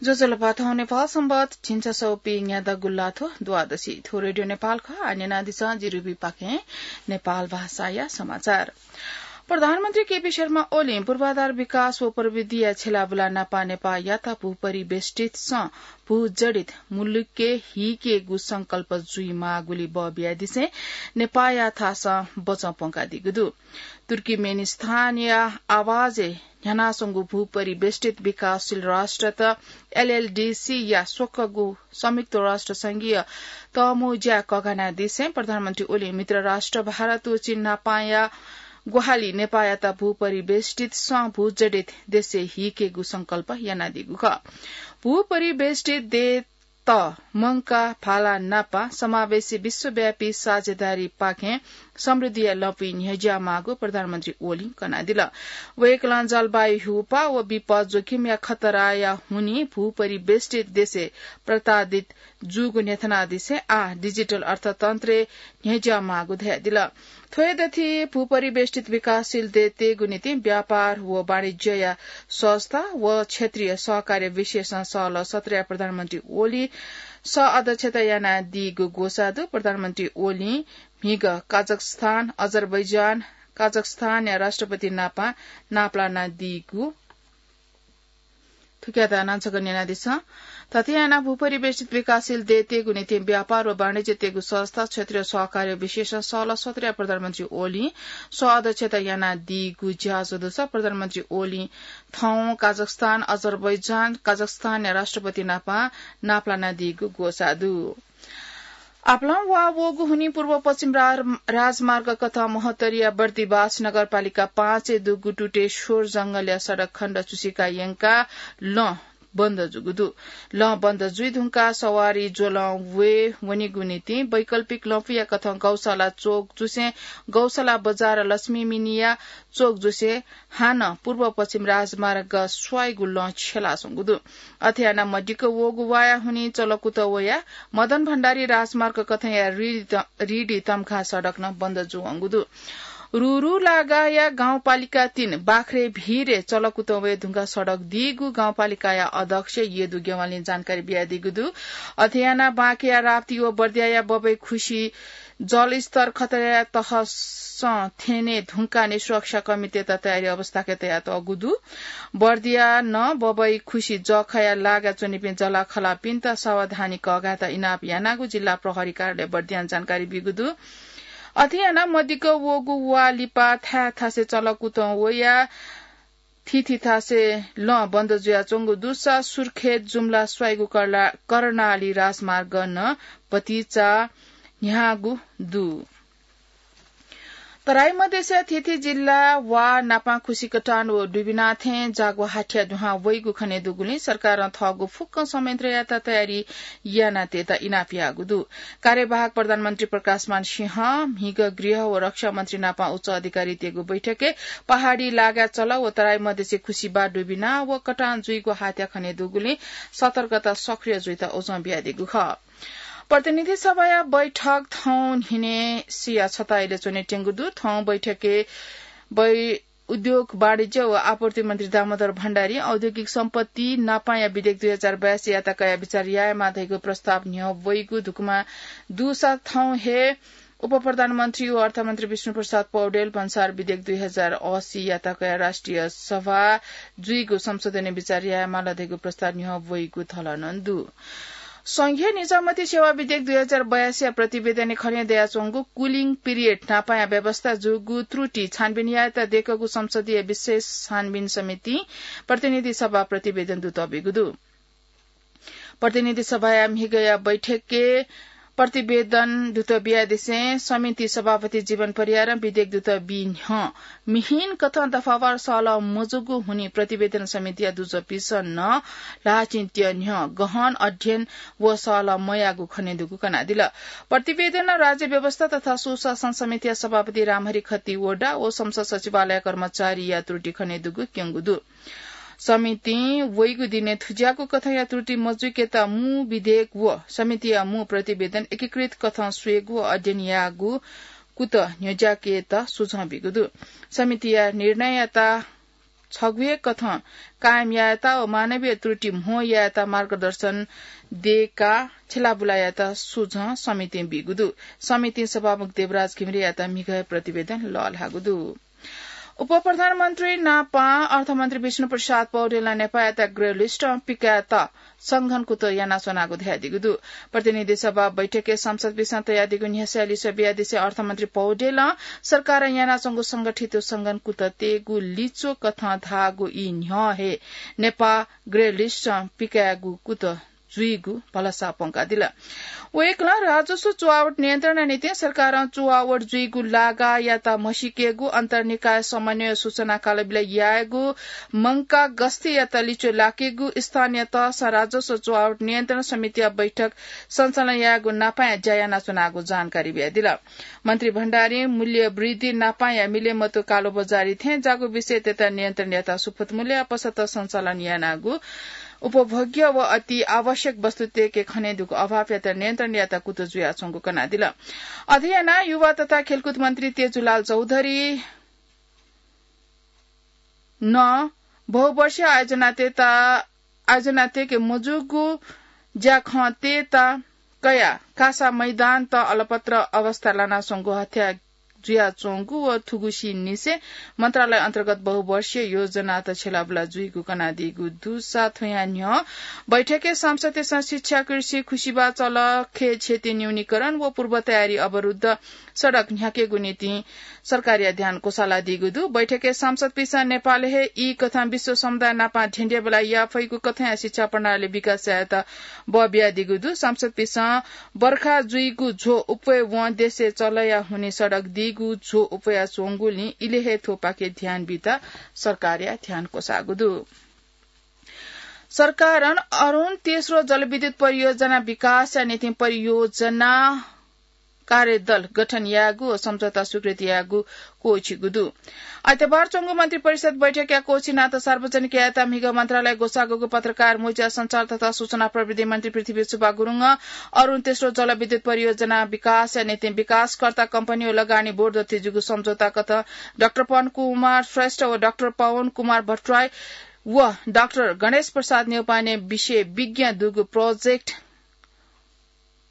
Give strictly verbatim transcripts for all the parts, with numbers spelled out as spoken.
ज्वजलपा, थौं नेपाल संवत् झिंछसः व पीन्यादँ गुल्लाथ्व द्वादशी। थ्व रेडियो नेपाल खः। आः न्यनादिसँ जिरुबी पाखें नेपाल भाषाया समाचार। प्रधानमन्त्री केपी शर्मा ओलीं पूर्वाधार विकास व प्रविधिया छेलाबुला नापं नेपाःयात भूपरिवेष्टित सं भूजडित मुलुकय् हीकेगु संकल्प जुइमाःगुलिइ बः बियादिसें नेपाःया थासं बचं प्वंकादीगु दु। तुर्कीमेनिस्तानया आवाजय् न्ह्यानाच्वंगु भूपरिवेष्टित विकासशील राष्ट्रत, एलएलडीसी, या स्वकःगु संयुक्त राष्ट्र संघीय तःमुँज्या कःघानादिसें प्रधानमन्त्री ओलीं मित्र राष्ट्र भारत व चीन नापंया ग्वाहालि नेपाःयात भूपरिवेष्टित सं भूजडित देशय् हीकेगु संकल्प यानादीगु खः। भूपरिवेष्टित देय् त मंकाः भाला नापं समावेशी विश्वव्यापी साझेदारीपाखें समृद्धिया लँपुइ न्ह्यज्याःमाःगु प्रधानमन्त्री ओलीं कनादिल। वय्कलं जलवायु ह्यूपाः व विपद जोखिमया खतराया हुनिं भूपरिवेष्टित देशय् प्रताडित जूगु न्ह्यथनादिसें आः डिजिटल अर्थतन्त्रय् न्ह्यज्याःमाःगु धयादिल। थ्व हे दथुइ भूपरिवेष्टित विकासशील देय्‌तय्‌गु निंतिं व्यापार व वाणिज्यया सहजता व क्षेत्रीय सहकार्य विषयसं सहलह सत्रया प्रधानमन्त्री ओलीं सह अध्यक्षता यानादीगु ग्वसाः दु। प्रधानमन्त्री ओलीं म्हिगः काजाख्स्तान, अजरबैजान, काजाख्स्तानया राष्ट्रपति नापं नापलानादीगु थुकियात नांछगः न्यनादिसँ। थथे यानाः भूपरिवेष्टित विकासशील देय्‌तय्‌गु निंतिं व्यापार व वाणिज्यतय्‌गु सहजता, क्षेत्रीय सहकार्य विषयसं सहलह सत्रया प्रधानमन्त्री ओलीं सह अध्यक्षता यानादीगु ज्याझ्वः दुसा प्रधानमन्त्री ओलीं थौं काजाख्स्तान, अजरबैजान, काजाख्स्तानया राष्ट्रपति नापं नापलानादीगु ग्वसाः दु। आपालं वा वःगु हुनिं पूर्व पश्चिम रा-, राजमार्ग कथं महोत्तरीया बर्दिबास नगरपालिका पाँचय् दुगु टुटेश्वर जंगलया सडक खण्ड चुसिका यंकाः लँ बन्द जूगु दु। लँ बन्द जुइधुंकाः सवारी ज्वलं वये वनेगु निंतिं वैकल्पिक लँपुया कथं गौशाला चोक जुसें गौशाला बजार लक्ष्मी मिनिया चोक जुसें हानं पूर्व पश्चिम राजमार्ग स्वाइगु लँ छ्यलाच्वंगु दु। अथे यानाः मदिक्क वःगु वाया हुनिं चलकुत वयाः मदन भण्डारी राजमार्ग कथंया रिडी त-, रिडी तम्घा सडक नं बन्द जूवंगु दु। रुरु लागाया गाउँपालिका तीन बाख्रे भिरे चलकुत वये धुंकाः सडक दीगु गाउँपालिकाया अध्यक्ष यदु गेवालीं जानकारी बियादीगु दु। अथे यानाः बाँकेया राप्ती व बर्दियाया बबैखुसी जलस्तर खतराया तहसं थ्यने धुंकाः सुरक्षा कमिटीत तयारी अवस्थाय् तयातःगु दु। बर्दिया नं बबैखुसी जःखया लागाय् च्वनीपिं जःलाखःलापिन्त सावधानी कःघायेत इनाप यानागु जिल्ला प्रहरी कार्यालय बर्दियां जानकारी बीगु दु। अथे यानाः मदिक्क वःगु वा लिपा थाय् थासय् चलकुतं वयाः थीथी थासय् लँ बन्द जुयाच्वंगु दुसा सुर्खेत जुम्ला स्वाइगु कर्ला-, कर्णाली राजमार्ग नं भतिचा न्ह्याःगु दु। तराई मधेसया थीथी जिल्ला वा नापं खुसिकटान व डुबिनाथें जागु हाथ्या दुहां वइगु खनेदुगुलिं सरकारं थःगु फुक्क संयन्त्रयात तयारी यानातयेत इनाप याःगु दु। कार्यवाहक प्रधानमन्त्री प्रकाशमान सिंहं म्हिगः गृह व रक्षा मन्त्री नापं उच्च अधिकारीतय्‌गु बैठकय् पहाडी लागाय् चल व तराई मधेसय् खुसिबा डुबिना व कटान जुइगु हाथ्या खनेदुगुलिं सतर्कता सक्रिय जुइत उजं बियादीगु खः। प्रतिनिधि सभाया बैठक थौं न्हिनय् सिया छता इलय् च्वनेत्यंगु दु। थौं बैठकय् बै-, उद्योग, वाणिज्य व आपूर्ति मन्त्री दामोदर भण्डारीं औद्योगिक सम्पत्ति नापंया विधेयक दुई हजार बयासीयात कयाः बिचाः यायेमाः धइगु प्रस्ताव न्ह्यः वइगु धुकुमा दुसा थौं हे उपप्रधानमन्त्री व अर्थमन्त्री विष्णुप्रसाद पौडेल भन्सार विधेयक दुई हजार असीयात कयाः राष्ट्रिय सभा जुइगु संशोधनय् बिचाः यायेमाल धइगु प्रस्ताव न्ह्यः वइगु थलनं दु। संघीय निजामती सेवा विधेयक दुई हजार बयासीया प्रतिवेदनय् खनेदयाच्वंगु cooling period नापंया व्यवस्था जूगु त्रुटि छानबिन यायेत दय्‌कूगु संसदीय विशेष छानबिन समितिं प्रतिनिधि सभा प्रतिवेदन दुतः बीगु दु। प्रतिनिधि सभाया म्हिगःया बैठकय् प्रतिवेदन दुतः बियादिसें समिति सभापति जीवन परियारं विधेयक दुतः बी न्ह्यः मिहिन कथं दफावार सहलह मजूगु हुनिं प्रतिवेदन समितिया दुजःपिसं नं ल्हाःचिं त्यः न्ह्यः गहन अध्ययन व सहलह मयाःगु खनेदुगु कनादिल। प्रतिवेदनं राज्य व्यवस्था तथा सुशासन समितिया सभापति रामहरि खतिवडा व संसद सचिवालय कर्मचारीया त्रुटि खनेदुगु क्यंगु दु। समितिं वइगु दिनय् थुज्याःगु कथंया त्रुटि मजुइकेत मू विधेयक व समितिया मू प्रतिवेदन एकीकृत कथं स्वयेगु व अध्ययन याःगु कुतः न्ह्यज्याकेत सुझाव बीगु दु। समितिया निर्णययात छगू हे कथं कायम यायेत व मानवीय त्रुटि म्हो यायेत मार्गदर्शन देका छेलाबुलायात सुझं समितिं बीगु दु। समितिं सभामुख देवराज घिमिरेयात म्हिगः प्रतिवेदन लःल्हाःगु दु। उपप्रधानमन्त्री नापं अर्थमन्त्री विष्णु प्रसाद पौडेलं नेपाःयात ग्रे लिस्टं पिकायेत संघन कुतः यानाच्वनागु धयादीगु दु। प्रतिनिधि सभा बैठकय् सांसदपिसं तयादीगु न्ह्यसःया लिसः बियादिसे अर्थमन्त्री पौडेलं सरकारं यानाच्वंगु संगठित संघन कुतः तयेगु लिच्वः कथं धाःगु ई न्ह्यः हे नेपाः ग्रे लिस्टं पिकायेगु कुतः जुइगु भलसा प्वंकादिल। वय्कलं राजस्व चुहावट नियन्त्रणया निंतिं सरकारं चुहावट जुइगु लागायात म्हसीकेगु, अन्तर्निकाय समन्वय सूचना कालबिल यायेगु, मंकाः गस्तीयात लिच्वः लाकेगु, स्थानीय तहसं राजस्व चुहावट नियन्त्रण समितिया बैठक सञ्चालन यायेगु नापांया ज्या यानाच्वनागु जानकारी बियादिल। मन्त्री भण्डारीं मूल्य वृद्धि नापांया मिलेमतू कालोबजारी थें ज्याःगु विषयतय्त नियन्त्रण यायेत सुपथ मूल्यया पसलत सञ्चालन यानागु उपभोग्य व अति आवश्यक वस्तुतय्के खनेदुगु अभावयात नियन्त्रण यायेत कुतः जुयाच्वंगु कनादिल। अथे यानाः युवा तथा खेलकुद मन्त्री तेजुलाल चौधरीं बहुवर्षीय आयोजनातय्त, आयोजनातय्के मजूगु ज्याखँतय्त कयाः कासा मैदानत अलपत्र अवस्थाय् लानाच्वंगु हत्या जुयाच्वंगु व थुगुसिनिसें मन्त्रालय अन्तर्गत बहुवर्षीय योजनात छेलाबुला जुइगु कनादीगु दुसा थ्वया न्ह्यः बैठकय् सांसदतय्सं शिक्षा, कृषि, खुसिबा, चल, खेत क्षति न्यूनीकरण व पूर्व तयारी अवरुद्ध सडक न्ह्याकेगु निंतिं सरकारया ध्यान क्वसालादीगु दु। बैठकय् सांसदपिसं नेपालय् हे ई कथं विश्व समुदाय नापं धेंधेंबल्लाः याये फइगु कथंया शिक्षा प्रणाली विकास यायेत बः बियादीगु दु। सांसदपिसं बर्खा जुइगु झ्वः अप्वय् वं देशय् चलया हुनिं सडक दीगु झ्वः अप्वयाच्वंगुलिं इलय् हे थ्वपाखे ध्यान बीत सरकारया ध्यान क्वसाःगु दु। सरकारं अरुण तेस्रो जलविद्युत परियोजना विकासया निंतिं परियोजना कार्यदल गठन यायेगु व सम्झौता स्वीकृति यायेगु क्वःछिगु दु। आइतबार च्वंगु मन्त्रिपरिषद बैठकया क्वःछिनात सार्वजनिक यायेत म्हिगः मन्त्रालय ग्वसाःगु पत्रकार मोर्चा सञ्चार तथा सूचना प्रविधि मन्त्री पृथ्वी सुब्बा गुरुङं अरुण तेस्रो जलविद्युत परियोजना विकासया निंतिं विकासकर्ता कम्पनी व लगानी बोर्ड दथुइ जूगु सम्झौता कथं डाक्टर पवन कुमार श्रेष्ठ व डाक्टर पवन कुमार भट्टराई व डाक्टर गणेश प्रसाद न्यौपाने विषय विज्ञ दुगु प्रोजेक्ट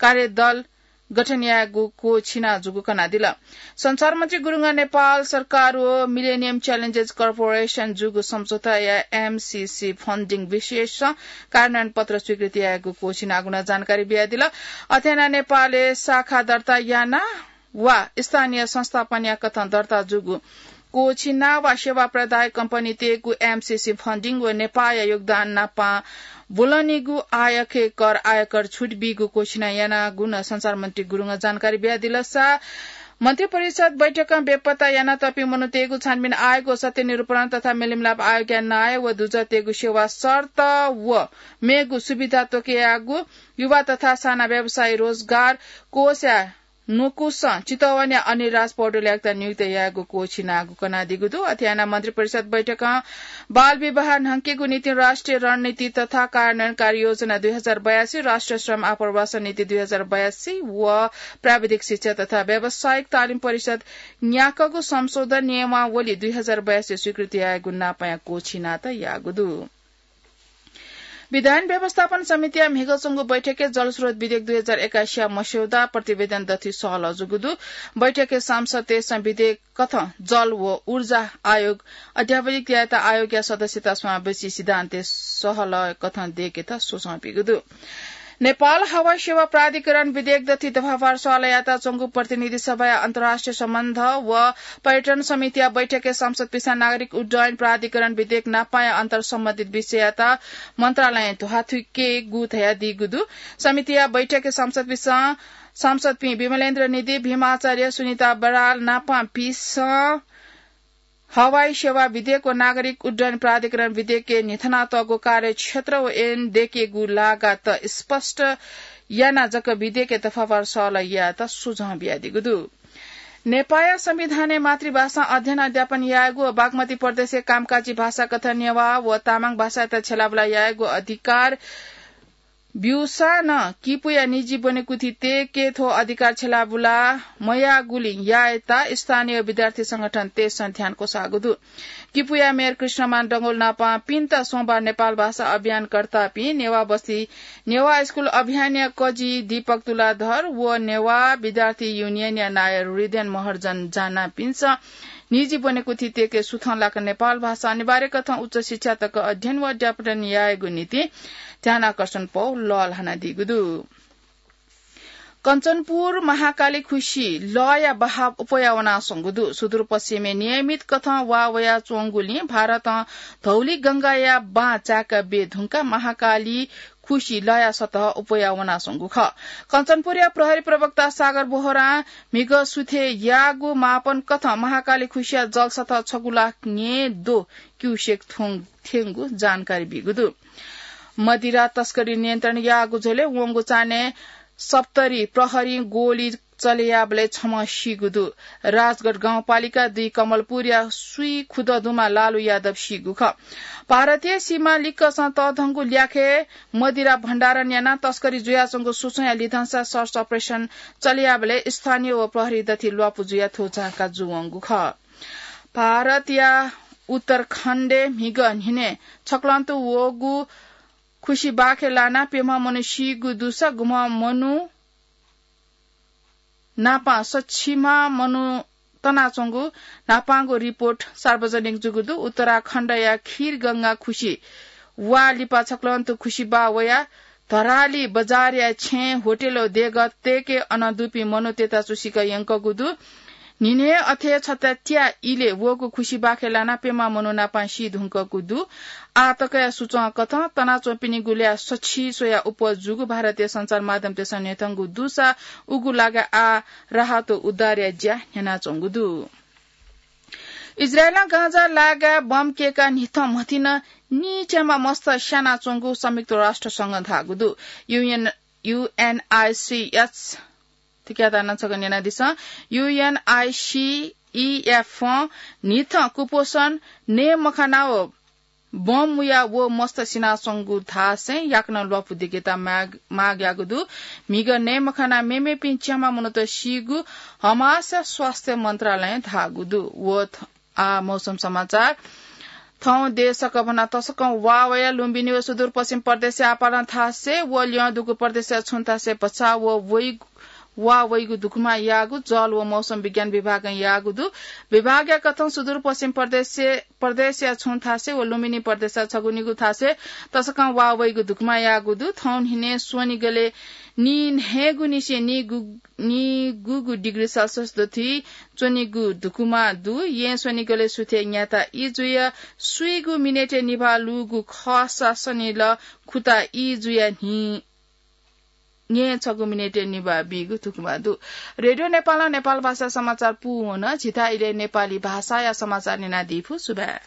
कार्यदल गठन यायेगु क्वःछिना जूगु कनादिल। सञ्चार मन्त्री गुरुङं नेपाल सरकार व मिलेनियम च्यालेन्जेस कर्पोरेसन जूगु सम्झौताया एमसीसी फन्डिङ विषयसं कार्यान्वयन पत्र स्वीकृति यायेगु क्वःछिनागु नं जानकारी बियादिल। अथे यानाः नेपालय् शाखा दर्ता याना वा स्थानीय संस्थापनया कथं दर्ता जूगु क्वःछिना वा सेवा प्रदायक कम्पनीतय्गु एमसीसी फन्डिङ व नेपाःया योगदान नापं ब्वलनीगु आयखे कर आयकर छुट बीगु क्वःछिना यानागु नं सञ्चार मन्त्री गुरुङं जानकारी बियादिल। सा मन्त्रिपरिषद बैठकं बेपत्ता यानातःपिं मनूतय्गु छानबिन आयोग व सत्य निरूपण तथा मेलमिलाप आयोगया नायः व दुजःतय्गु सेवा शर्त व मेगु सुविधा त्वकयागु युवा तथा साना व्यवसायी रोजगार कोषया न्वकुसं चितवनया अनिल राज पौडेलयात नियुक्त यायेगु क्वःछिनागु कनादीगु दु। अथे यानाः मन्त्रिपरिषद बैठकं बाल विवाह न्हंकेगु निंतिं राष्ट्रिय रणनीति तथा कार्यान्वयन कार्ययोजना दुई हजार बयासी, राष्ट्रिय श्रम आप्रवासन नीति दुई हजार बयासी व प्राविधिक शिक्षा तथा व्यावसायिक तालिम परिषद न्याकःगु संशोधन नियमावली दुई हजार बयासी स्वीकृति यायेगु नापंया क्वःछिनात याःगु दु। विधान व्यवस्थापन समितिया म्हिगः च्वंगु बैठकय् जलस्रोत विधेयक दुई हजार एकासीया मस्यौदा प्रतिवेदन दथुइ सहलह जूगु दु। बैठकय् सांसदतय्सं विधेयक कथं जल व ऊर्जा आयोग अध्यावधिक यायेत आयोगया सदस्यता समावेशी सिद्धान्तय् सहलह कथं दयेकेत सुझाव बीगु दु। नेपाल हवाई सेवा प्राधिकरण विधेयक दथुइ दफावार सहलह यायेत च्वंगु प्रतिनिधि सभाया अन्तर्राष्ट्रिय सम्बन्ध व पर्यटन समितिया बैठकय् सांसदपिसं नागरिक उड्डयन प्राधिकरण विधेयक नापंया अन्तर सम्बन्धित विषययात मन्त्रालयं ध्वाथुइकेगु धयादीगु दु। समितिया बैठकय् सांसदपिसं, सांसदपिं विमलेन्द्र निधि, भीम आचार्य, सुनिता बराल नापं पिसं हवाई सेवा विधेयक व नागरिक उड्डयन प्राधिकरण विधेयकय् न्ह्यथनातःगु कार्यक्षेत्र व ऐन दयेकेगु लागात स्पष्ट यानाः जक विधेयकय् दफावार सहलह यायेत सुझाव बियादीगु दु। नेपाःया संविधानय् मातृभाषां अध्ययन अध्यापन यायेगु व बागमती प्रदेशय् कामकाजी भाषा कथं नेवाः व तामाङ भाषायात छ्यलाबुला यायेगु अधिकार ब्यूसां नं किपुया निजी ब्वनेकुथि तयेके थ्व अधिकार छ्यलाबुला मयाःगुलिं यायेता स्थानीय विद्यार्थी संगठन तेसं ध्यान क्वसाःगु दु। किपुया मेयर कृष्णमान डंगोल नापं पिन्त सोमबार नेपाल भाषा अभियानकर्तापिं नेवाः बस्ती नेवाः स्कुल अभियानया कजि दीपक तुलाधर व नेवाः विद्यार्थी युनियनया नायः हृदयन महर्जन जानापिन्सं निजी ब्वनेकुथि तयेके सुथं लाक नेपाल भाषा अनिवार्य कथं उच्च शिक्षा तक अध्ययन व अध्यापन यायेगु निंतिं ध्यानाकर्षण पौ लःल्हानादीगु दु। कञ्चनपुर महाकाली खुसि लःया बहाव अप्वया वनाच्वंगु दु। सुदूरपश्चिमय् नियमित कथं वा वयाच्वंगुलिं भारतं धौली गंगाया बां चाय्‌का बये धुंकाः महाकाली खुसि लःया सतह अप्वया वनाच्वंगु खः। कञ्चनपुरया प्रहरी प्रवक्ता सागर बोहरां म्हिगः सुथय् याःगु मापन कथं महाकाली खुसिया जलसतह छगू लाख न्हय्‌द्वः क्युसेक थ्वं-, थ्यंगु जानकारी बीगु दु। मदिरा तस्करी नियन्त्रण याःगु झ्वलय् वंगु चान्हय् सप्तरी प्रहरीं गोली चले याःबलय् छम्ह सीगु दु। राजगढ गाउँपालिका दुई कमलपुरया स्वीखुदँ दुम्ह लालु यादव सीगु खः। भारतीय सीमा लिक्कसं तःधंगु ल्याखय् मदिरा भण्डारण यानाः तस्करी जुयाच्वंगु सूचना लिधंसा search operation चले याःबलय् स्थानीय व प्रहरी दथुइ ल्वापु जुयाः थ्व झांका जूवंगु खः। भारतया उत्तराखण्डय् म्हिगः न्हिनय् छक्लंतु वःगु खुसि बाखय् लानाः प्यम्ह मनू सीगु दुसा गुम्ह मनू नापं सछिम्ह मनू तनाच्वंगु न्हापांगु रिपोर्ट सार्वजनिक जूगु दु। उत्तराखण्डया खीरगंगा खुसि वा लिपा छक्लंतु खुसि बाः वयाः धराली बजारया छेँय् होटलय् देगः तय्‌के अन दुपिं मनूतय्‌त चुसिक यंकूगु दु। न्हिनय् अथे छता त्या इलय् वःगु खुसि बाखय् लानाः प्यम्ह मनू नापं सी धुंकूगु दु। आः तकया सूचं कथं तनाच्वंपिनिगु ल्याः सछि स्वयाः अप्वः जूगु भारतीय सञ्चार माध्यमतय्‌सं न्ह्यथंगु दुसा उगु लागाय् आः राहत व उद्धारया ज्या न्ह्यानाच्वंगु दु। इजरायलं गाजा लागाय् बम कय्‌काः न्हिथं म्हथिं नं नीच्याम्ह मस्त स्यानाच्वंगु संयुक्त राष्ट्र संघं धाःगु दु। UN, UNICS, थुकियात नं छकः न्यनादिसँ। UNICEF नं न्हिथं कुपोषण, नये मखनाः व बम मुयाः व मस्त सिनाच्वंगु धासें याकनं ल्वापु दिकेत माग, माग याःगु दु। म्हिगः नये मखनाः मेमेपिं च्याम्ह मनूत सीगु हमासया स्वास्थ्य मन्त्रालयं धाःगु दु। व थ-, आ, मौसम समाचार। थौं देश सकभनं तसकं वा वयाः लुम्बिनी व सुदूरपश्चिम प्रदेशया आपालं थासय् व ल्यं दुगु प्रदेशया छुं थासय् भचा व वइ, वा वइगु धुकुमा याःगु, जल व मौसम विज्ञान विभागं याःगु दु। विभागया कथं सुदूरपश्चिम प्रदेशय्, प्रदेशया छुं थासय् व लुम्बिनी प्रदेशया छगू निगू थासय् तसकं वा वइगु धुकुमा याःगु दु। थौं न्हिनय् स्वनिगलय् नीन्हय्‌गुनिसें नीगु, नीगुगु डिग्री सेल्सियस दथुइ च्वनीगु धुकुमा दु। येँ स्वनिगलय् सुथय् न्याता ई जुयाः स्वीगू मिनेटय् निभाः लूगु खःसा सनिल खुता ई जुयाः न्हि न्हय् छगू मिनेटय् निभाः बीगु धुकुमा दु। रेडियो नेपालं नेपाल भाषा समाचार पूवन। झीथाय् इलय् नेपाली भाषाया समाचार न्यनादीफु। सुभाय्।